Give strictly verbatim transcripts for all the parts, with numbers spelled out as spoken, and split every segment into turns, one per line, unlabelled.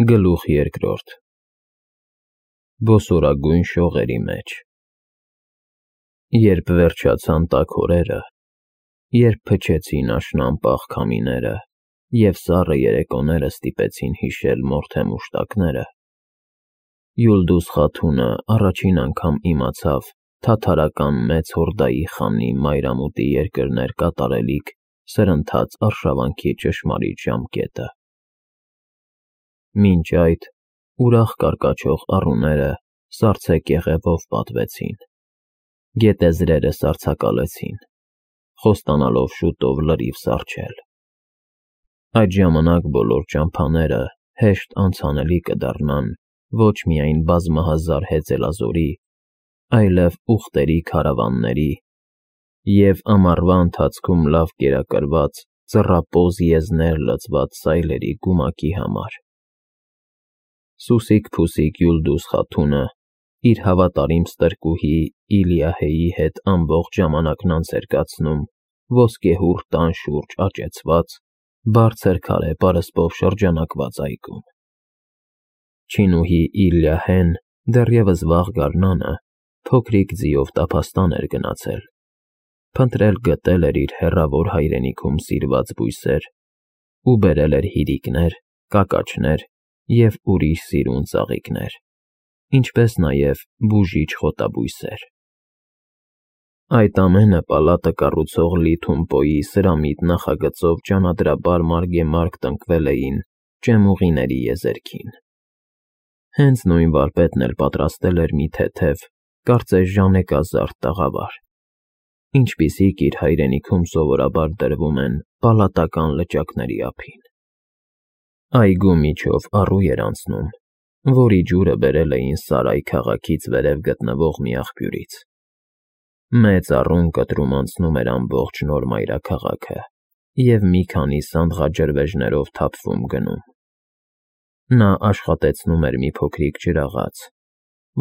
Գլուխ երկրորդ Բոսորագույն շողերի մեջ Երբ վերջացան տաք օրերը, երբ փչեցին աշնան-պաղ քամիները և սառը երեկոները ստիպեցին հիշել մորթե մուշտակները, Յուլդուս Խաթունը առաջին անգամ իմացավ թաթարական մեծ հորդայի խանի մայրամուտի երկրներ կատարելիք սրընթաց արշավանքի ճշմարիտ ժամկետը։ Մինչ այդ ուրախ կարկաչող առուները սառցե կեղևով պատվեցին, գետեզրերը սառցակալեցին, խոստանալով շուտով լրիվ սառչել։ Այդ ժամանակ բոլոր ճամփաները հեշտ անցանելի կդառնան ոչ միայն բազմահազար հեծելազորի, այլև ուղտերի քարավանների և ամառվա ընթացքում լավ կերակրված ծռապոզ եզներ լցված սայլերի գումակի համար։ Սուսիկ-փուսիկ Յուլդուս Խաթունը իր հավատարիմ ստրկուհի Իլիահեի հետ ամբողջ ժամանակն անց էր կացնում ոսկեհուռ տան շուրջ աճեցված, բարձր քարե պարսպով շրջանակված այգում։ Չինուհի Իլիահեն դեռևս վաղ գարնանը փոքրիկ ձիով տափաստան էր գնացել, փնտրել֊գտել էր իր հեռավոր հայրենիքում սիրված բույսեր ու բերել էր հիրիկներ, կակաչներ և ուրիշ սիրուն ծաղիկներ, ինչպես նաև բուժիչ խոտաբույսեր։ Այդ ամենը պալատը կառուցող Լի Թումպոյի սրամիտ նախագծով ճանադրաբար մարգեմարգ տնկվել էին ճեմուղիների եզերքին։ Հենց նույն վարպետն էլ պատրաստել էր մի թեթև, կարծես ժանեկազարդ տաղավար, ինչպիսիք իր հայրենիքում սովորաբար դրվում են պալատական լճակների ափին։ Այգու միջով առու էր անցնում, որի ջուրը բերել էին Սարայ քաղաքից վերև գտնվող մի աղբյուրից։ Մեծ առուն կտրում անցնում էր ամբողջ նոր մայրաքաղաքը և մի քանի սանդղաջրվեժներով թափվում գնում։ Նա աշխատեցնում էր մի փոքրիկ ջրաղաց,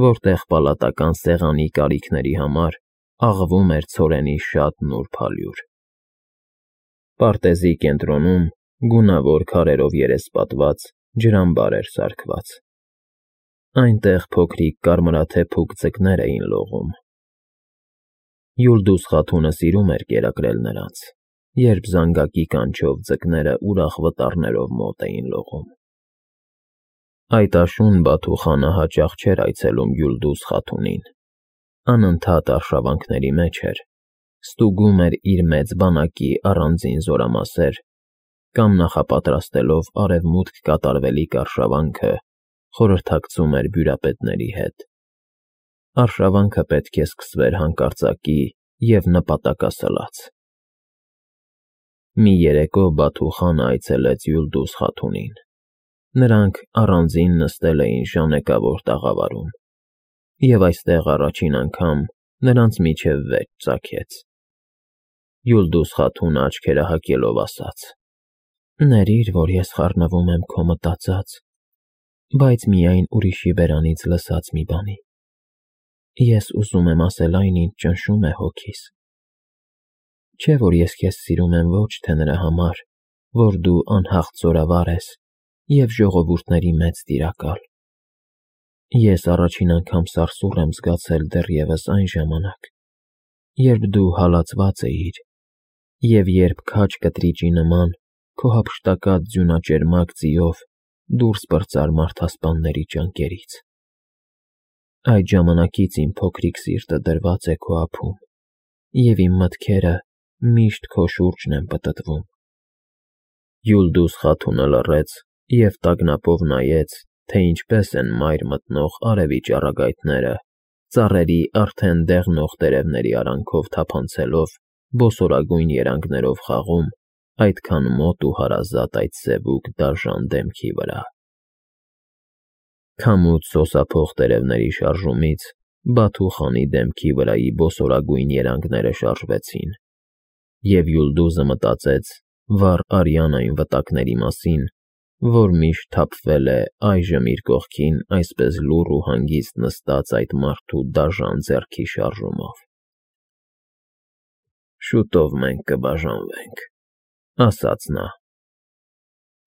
որտեղ պալատական սեղանի կարիքների համար աղվում էր ցորենի շատ նուրբ ալյուր։ Պարտեզի կենտրոնում գունավոր քարերով երեսպատված ջրամբար էր սարքված։ Այնտեղ փոքրիկ կարմրաթեփուկ ձկներ էին լողում։ Յուլդուս Խաթունը սիրում էր կերակրել նրանց, երբ զանգակի կանչով ձկները ուրախ վտառներով մոտ էին լողում։ Այդ աշուն Բաթուխանը հաճախ չէր այցելում Յուլդուս Խաթունին, անընդհատ արշավանքների մեջ էր, ստուգում էր իր մեծ բանակի առանձին զորամասեր կամ նախապատրաստելով արևմուտք կատարվելիք արշավանքը, խորհրդակցում էր բյուրապետների հետ։ Արշավանքը պետք է սկսվեր հանկարծակի և նպատակասլաց։ Մի երեկո Բաթուխանը այցելեց Յուլդուս Խաթունին։ Նրանք առանձին նստել էին ժանեկավոր տաղավարում, և այստեղ առաջին անգամ նրանց միջև վեճ ծագեց։ Յուլդուս Խաթունը աչքերը հակելով ասաց. «Ներիր, որ ես խառնվում եմ քո մտածած, բայց միայն ուրիշի բերանից լսած մի բանի։ Ես ուզում եմ ասել այն, ինչ ճնշում է հոգիս։ Չէ՞ որ ես քեզ սիրում եմ ոչ թե նրա համար, որ դու անհաղթ զորավար ես և ժողովուրդների մեծ տիրակալ։ Ես առաջին անգամ սարսուռ եմ զգացել դեռևս այն ժամանակ, երբ դու հալածված էիր, և երբ քաջ կտրիճի նման քո հափշտակած ձյունաճերմակ ձիով դուրս պրծար մարդասպանների ճանկերից։ Այդ ժամանակից իմ փոքրիկ սիրտը դրված է քո ափում, և իմ մտքերը միշտ քո շուրջն են պտտվում»։ Յուլդուս Խաթունը լռեց և տագնապով նայեց, թե ինչպես են մայր մտնող արևի ճառագայթները, ծառերի արդեն դեղնող տերևների արանքով թափանցելով, բոսորագույն երանգներով խաղում այդքան մոտ ու հարազատ այդ սևուկ դաժան դեմքի վրա։ Քամուց սոսափող տերևների շարժումից Բաթուխանի դեմքի վրայի բոսորագույն երանգները շարժվեցին, և Յուլդուզը մտածեց վառ արյան այն վտակների մասին, որ միշտ թափվել է այժմ իր կողքին այսպես լուռ ու հանգիստ նստած այդ մարդու դաժան ձեռքի շարժումով։ «Շուտով մենք կբաժանվենք»,֊ ասաց նա։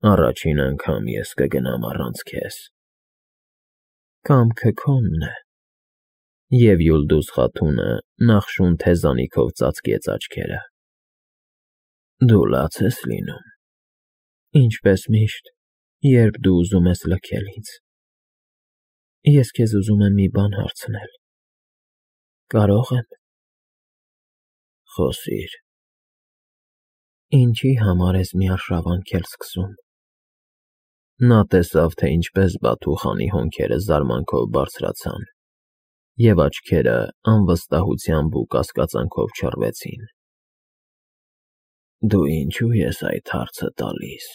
Առաջին անգամ ես կգնամ առանց քեզ։ Կամքը քոնն է։ Եվ Յուլդուս Խաթունը նախշուն թեզանիքով ծածկեց աչքերը։ Դու լաց ես լինում։ Ինչպես միշտ, երբ դու ուզում ես լքել ինձ։ Ես քեզ ուզում եմ մի բան հարցնել։ Կարո՞ղ եմ։ Խոսիր։ Ինչի համար ես մի արշավանքել սկսում։ Նա տեսավ, թե ինչպես Բաթուխանի հոնքերը զարմանքով բարձրացան, և աչքերը անվստահությամբ ու կասկածանքով չռվեցին։ Դու ինչու ես այդ հարցը տալիս։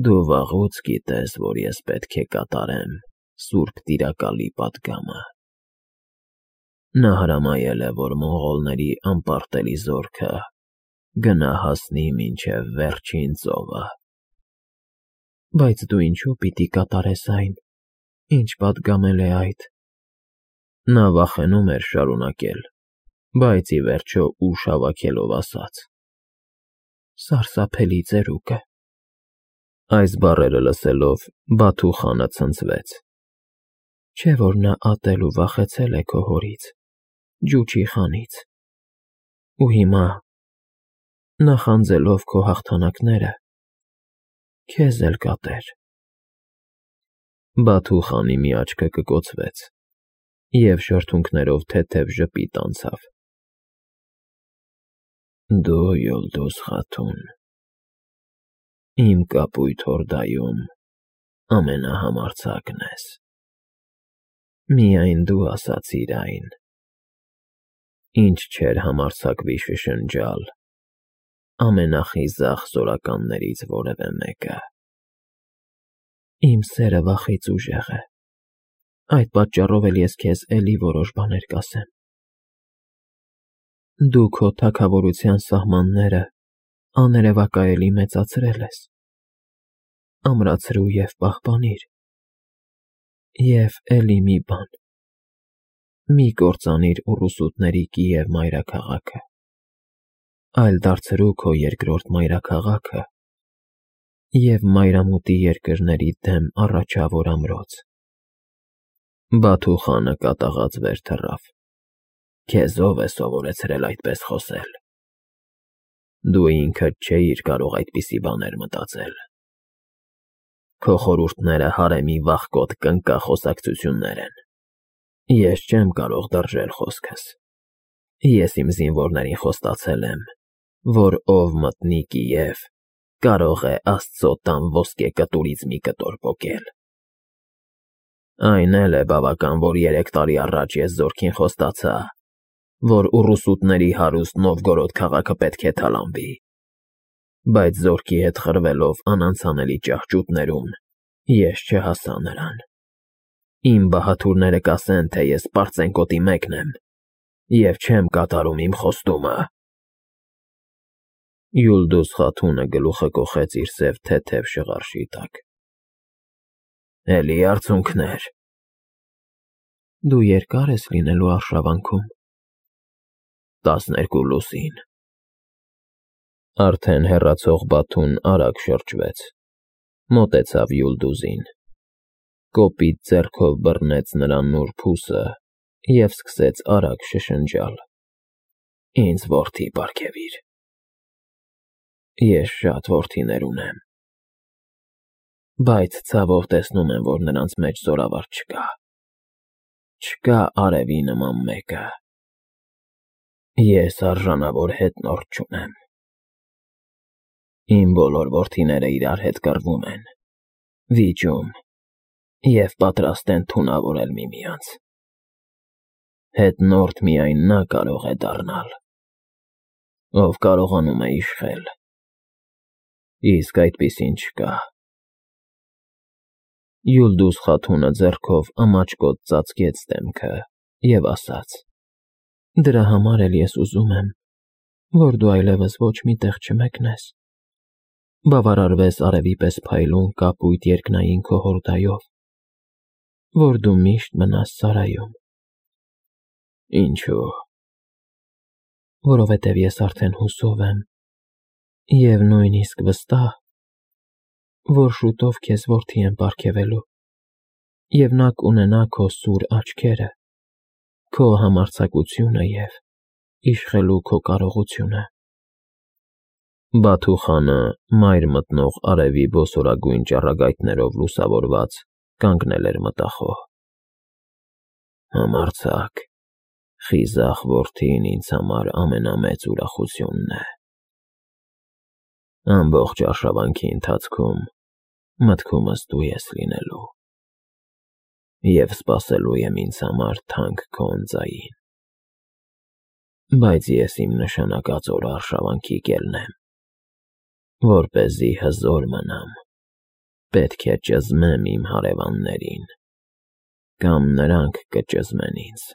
Դու վաղուց գիտես, որ ես պետք է կատարեմ Սուրբ Տիրակալի պատգամը։ Նա հրամայել է, որ մոնղոլների անպարտելի զորքը գնա հասնի մինչև վերջին ծովը։ Բայց դու ինչու պիտի կատարես այն, ինչ պատգամել է այդ։ Նա վախենում էր շարունակել, բայց ի վերջո ուժ հավաքելով ասաց. Սարսափելի ծերուկ է։ Այս բառերը լսելով Բաթուխանը ցնցվեց։ Չէ՞ որ նա ատել ու վախեցել է քո հորից, Ջուչի խանից։ Ու հիմա, նախանձելով քո հաղթանակները, քեզ էլ կատեր։ Բաթուխանի մի աչքը կկոցվեց, և շրթունքներով թեթև ժպիտ անցավ։ Դու, Յուլդուս Խաթուն, իմ կապույտ հորդայում ամենահամարձակն ես։ Միայն դու ասացիր այն, ինչ չէր համարձակվի շշնջալ ամենախիզախ զորականներից որևէ մեկը։ Իմ սերը վախից ուժեղ է, այդ պատճառով էլ ես քեզ էլի որոշ բաներ կասեմ։ Դու քո թագավորության սահմանները աներևակայելի մեծացրել ես։ Ամրացրու և պահպանիր։ Եվ էլի մի բան. մի կործանիր ուռուսուտների Կիև մայրաքաղաքը, այլ դարձրու քո երկրորդ մայրաքաղաքը և մայրամուտի երկրների դեմ առաջավոր ամրոց։ Բաթուխանը կատաղած վեր թռավ։ Քեզ ո՞վ է սովորեցրել այդպես խոսել։ Դու ինքդ չէիր կարող այդպիսի բաներ մտածել։ Քո խորհուրդները հարեմի վախկոտ կնկա խոսակցություններ են։ Ես չեմ կարող դրժել խոսքս։ Ես իմ զինվորներին խոստացել եմ, որ ով մտնի Կիև, կարող է Աստծո տան ոսկե կտուրից մի կտոր պոկել։ Այն էլ է բավական, որ երեք տարի առաջ ես զորքին խոստացա, որ ուռուսուտների հարուստ Նովգորոդ քաղաքը պետք է թալանվի, բայց զորքի հետ խրվելով անանցանելի ճահճուտներում ես չհասա նրան։ Իմ բահաթուրները կասեն, թե ես պարծենկոտի մեկն եմ և չեմ կատարում իմ խոստումը։ Յուլդուս Խաթունը գլուխը կոխեց իր սև թեթև շղարշի տակ։ Էլի արցունքներ։ Դու երկա՞ր ես լինելու արշավանքում։ Տասներկու լուսին։ Արդեն հեռացող Բաթուն արագ շրջվեց, մոտեցավ Յուլդուզին, կոպիտ ձեռքով բռնեց նրա նուրբ ուսը և սկսեց արագ շշնջալ. Ինձ որդի պարգևիր։ Ես շատ որդիներ ունեմ, բայց ցավով տեսնում եմ, որ նրանց մեջ զորավարտ չկա։ Չկա արևի նման մեկը։ Ես արժանավոր հետնորդ չունեմ։ Իմ բոլոր որդիները իրար հետ կռվում են, վիճում և պատրաստ են թունավորել միմյանց։ Հետնորդ միայն նա կարող է դառնալ, ով կարողանում է իշխել, իսկ այդպիսին չկա։ Յուլդուս Խաթունը ձեռքով ամաչկոտ ծածկեց դեմքը և ասաց. Դրա համար էլ ես ուզում եմ, որ դու այլևս ոչ մի տեղ չմեկնես, բավարարվես արևի պես փայլուն կապույտ երկնային քո հորդայով, որ դու միշտ մնաս սարայում։ Ինչո՞ւ։ Որովհետև ես արդեն հուսով եմ և նույնիսկ վստահ, որ շուտով քեզ որդի եմ պարգևելու, և նա կունենա քո սուր աչքերը, քո համարձակությունը և իշխելու քո կարողությունը։ Բաթուխանը, մայր մտնող արևի ոսորագույն ճառագայթներով լուսավորված, կանգնել էր մտախոհ։ Համարձակ, խիզախ որդին ինձ համար ամենամեծ ուրախությունն է։ Ամբողջ արշավանքի ընթացքում մտքումս դու ես լինելու և սպասելու եմ ինձ համար թանկ քո ընծային։ Բայց ես իմ նշանակած օրը արշավանքի կելն եմ, որպեսզի հզոր մնամ, պետք է ճզմեմ իմ հարևաններին, կամ նրանք կճզմեն ինձ։